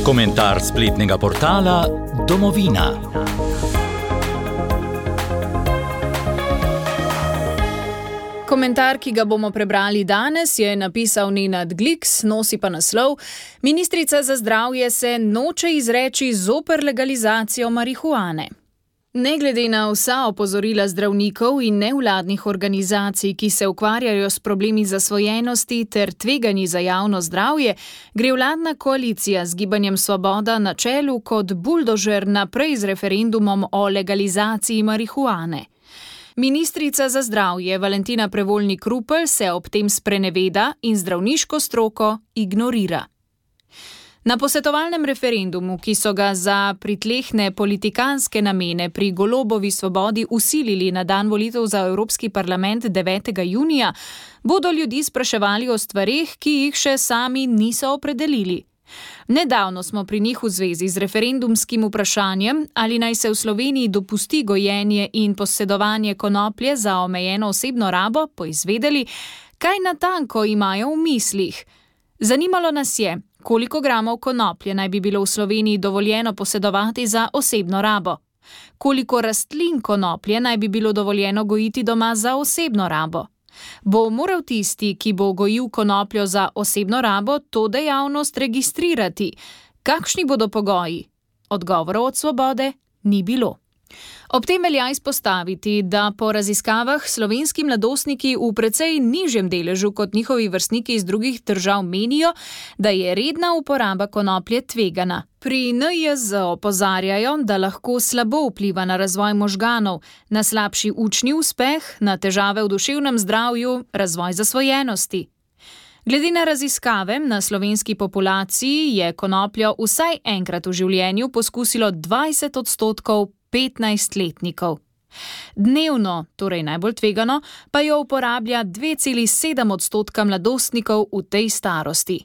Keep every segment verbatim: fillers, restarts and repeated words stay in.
Komentar spletnega portala Domovina. Komentar, ki ga bomo prebrali danes, je napisal Nenad Gliks, nosi pa naslov: Ministrica za zdravje se noče izreči zoper legalizacijo marihuane. Ne glede na vsa opozorila zdravnikov in nevladnih organizacij, ki se ukvarjajo s problemi zasvojenosti ter tveganji za javno zdravje, gre vladna koalicija z Gibanjem Svoboda na čelu kot buldožer naprej z referendumom o legalizaciji marihuane. Ministrica za zdravje Valentina Prevolnik Rupel se ob tem spreneveda in zdravniško stroko ignorira. Na posvetovalnem referendumu, ki so ga za pritlehne politikanske namene pri Golobovi Svobodi usilili na dan volitev za Evropski parlament devetega junija, bodo ljudi spraševali o stvareh, ki jih še sami niso opredelili. Nedavno smo pri njih v zvezi z referendumskim vprašanjem, ali naj se v Sloveniji dopusti gojenje in posedovanje konoplje za omejeno osebno rabo, poizvedeli, kaj natanko imajo v mislih. Zanimalo nas je, koliko gramov konoplje naj bi bilo v Sloveniji dovoljeno posedovati za osebno rabo, koliko rastlin konoplje naj bi bilo dovoljeno gojiti doma za osebno rabo. Bo moral tisti, ki bo gojil konopljo za osebno rabo, to dejavnost registrirati? Kakšni bodo pogoji? Odgovorov od Svobode ni bilo. Ob tem velja izpostaviti, da po raziskavah slovenski mladostniki v precej nižjem deležu kot njihovi vrstniki iz drugih držav menijo, da je redna uporaba konoplje tvegana. Pri N J Z opozarjajo, da lahko slabo vpliva na razvoj možganov, na slabši učni uspeh, na težave v duševnem zdravju, razvoj zasvojenosti. Glede na raziskave na slovenski populaciji je konopljo vsaj enkrat v življenju poskusilo dvajset odstotkov petnajstletnikov. Dnevno, torej najbolj tvegano, pa jo uporablja dve celi sedem odstotka mladostnikov v tej starosti.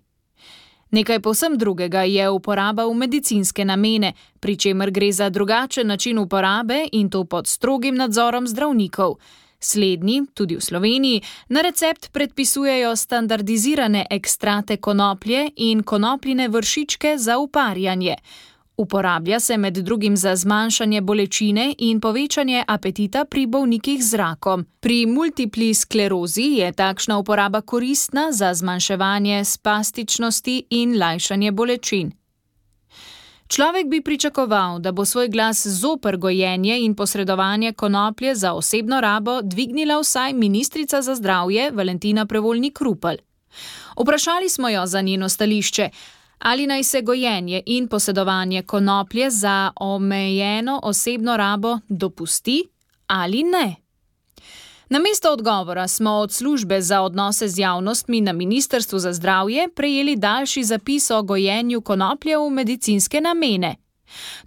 Nekaj povsem drugega je uporaba v medicinske namene, pri čemer gre za drugačen način uporabe in to pod strogim nadzorom zdravnikov. Slednji, tudi v Sloveniji, na recept predpisujejo standardizirane ekstrate konoplje in konopljine vršičke za uparjanje. Uporablja se med drugim za zmanjšanje bolečine in povečanje apetita pri bolnikih z rakom. Pri multipli sklerozi je takšna uporaba koristna za zmanjševanje spastičnosti in lajšanje bolečin. Človek bi pričakoval, da bo svoj glas zoper gojenje in posredovanje konoplje za osebno rabo dvignila vsaj ministrica za zdravje Valentina Prevolnik Rupel. Vprašali smo jo za njeno stališče, ali naj se gojenje in posedovanje konoplje za omejeno osebno rabo dopusti ali ne. Namesto odgovora smo od službe za odnose z javnostmi na Ministrstvu za zdravje prejeli daljši zapis o gojenju konoplje v medicinske namene.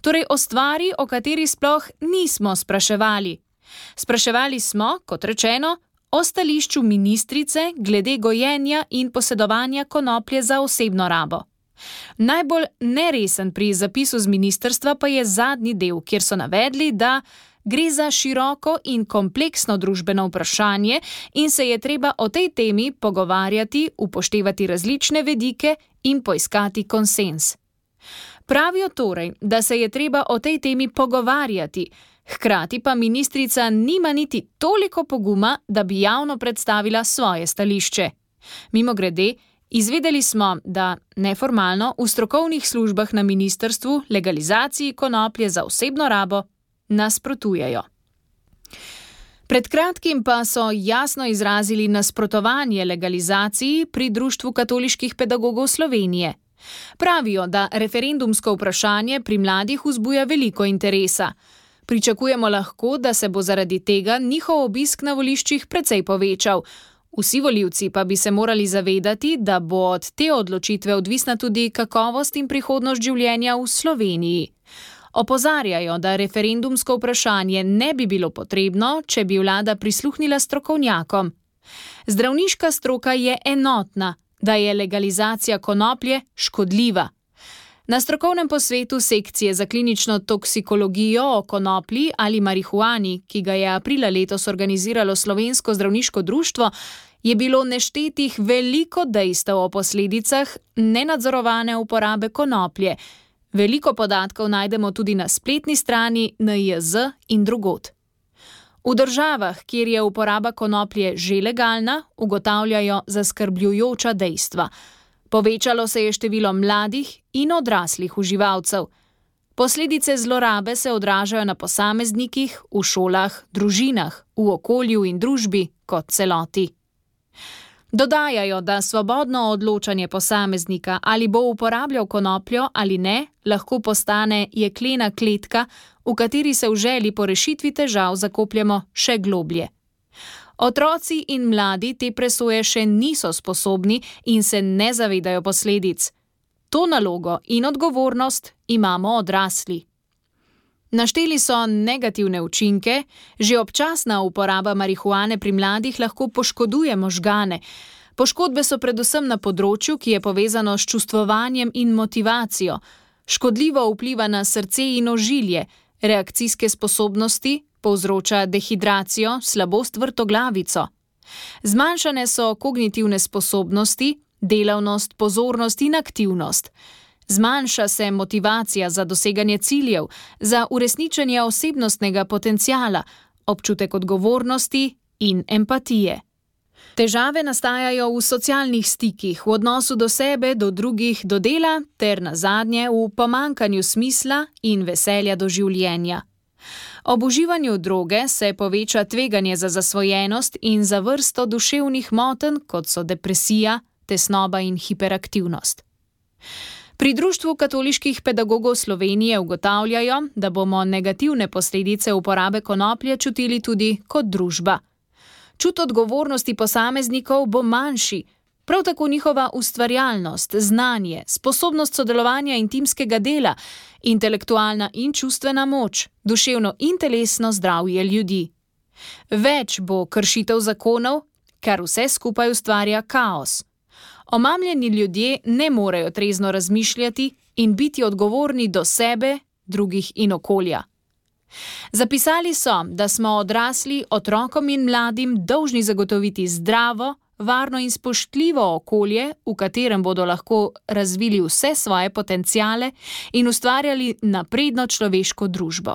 Torej o stvari, o kateri sploh nismo spraševali. Spraševali smo, kot rečeno, o stališču ministrice glede gojenja in posedovanja konoplje za osebno rabo. Najbolj neresen pri zapisu z ministrstva pa je zadnji del, kjer so navedli, da gre za široko in kompleksno družbeno vprašanje in se je treba o tej temi pogovarjati, upoštevati različne vidike in poiskati konsenz. Pravijo torej, da se je treba o tej temi pogovarjati, hkrati pa ministrica nima niti toliko poguma, da bi javno predstavila svoje stališče. Mimogrede, izvedeli smo, da neformalno v strokovnih službah na ministrstvu legalizaciji konoplje za osebno rabo nasprotujejo. Pred kratkim pa so jasno izrazili nasprotovanje legalizaciji pri Društvu katoliških pedagogov Slovenije. Pravijo, da referendumsko vprašanje pri mladih vzbuja veliko interesa. Pričakujemo lahko, da se bo zaradi tega njihov obisk na voliščih precej povečal. Vsi volivci pa bi se morali zavedati, da bo od te odločitve odvisna tudi kakovost in prihodnost življenja v Sloveniji. Opozarjajo, da referendumsko vprašanje ne bi bilo potrebno, če bi vlada prisluhnila strokovnjakom. Zdravniška stroka je enotna, da je legalizacija konoplje škodljiva. Na strokovnem posvetu sekcije za klinično toksikologijo o konoplji ali marihuani, ki ga je aprila letos organiziralo Slovensko zdravniško društvo, je bilo neštetih veliko dejstev o posledicah nenadzorovane uporabe konoplje, Veliko podatkov najdemo tudi na spletni strani N I Z in drugod. V državah, kjer je uporaba konoplje že legalna, ugotavljajo zaskrbljujoča dejstva. Povečalo se je število mladih in odraslih uživalcev. Posledice zlorabe se odražajo na posameznikih, v šolah, družinah, v okolju in družbi kot celoti. Dodajajo, da svobodno odločanje posameznika, ali bo uporabljal konopljo ali ne, lahko postane jeklena kletka, v kateri se v želji po rešitvi težav zakopljemo še globlje. Otroci in mladi te presoje še niso sposobni in se ne zavedajo posledic. To nalogo in odgovornost imamo odrasli. Našteli so negativne učinke, že občasna uporaba marihuane pri mladih lahko poškoduje možgane. Poškodbe so predvsem na področju, ki je povezano s čustvovanjem in motivacijo. Škodljivo vpliva na srce in ožilje, reakcijske sposobnosti, povzroča dehidracijo, slabost vrtoglavico. Zmanjšane so kognitivne sposobnosti, delavnost, pozornost in aktivnost. Zmanjša se motivacija za doseganje ciljev, za uresničenje osebnostnega potenciala, občutek odgovornosti in empatije. Težave nastajajo v socialnih stikih, v odnosu do sebe, do drugih, do dela ter nazadnje v pomanjkanju smisla in veselja do življenja. Ob uživanju droge se poveča tveganje za zasvojenost in za vrsto duševnih motenj, kot so depresija, tesnoba in hiperaktivnost. Pri Društvu katoliških pedagogov Slovenije ugotavljajo, da bomo negativne posledice uporabe konoplje čutili tudi kot družba. Čut odgovornosti posameznikov bo manjši, prav tako njihova ustvarjalnost, znanje, sposobnost sodelovanja in timskega dela, intelektualna in čustvena moč, duševno in telesno zdravje ljudi. Več bo kršitev zakonov, kar vse skupaj ustvarja kaos. Omamljeni ljudje ne morejo trezno razmišljati in biti odgovorni do sebe, drugih in okolja. Zapisali so, da smo odrasli otrokom in mladim dolžni zagotoviti zdravo, varno in spoštljivo okolje, v katerem bodo lahko razvili vse svoje potenciale in ustvarjali napredno človeško družbo.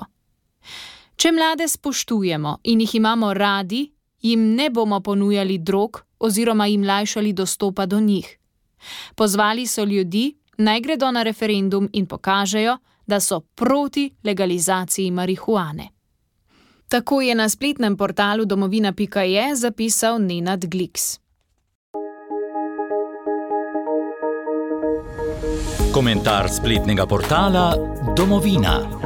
Če mlade spoštujemo in jih imamo radi, jim ne bomo ponujali drog oziroma jim lajšali dostopa do njih. Pozvali so ljudi, naj gredo na referendum in pokažejo, da so proti legalizaciji marihuane. Tako je na spletnem portalu domovina pika je zapisal Nenad Gliks. Komentar spletnega portala Domovina.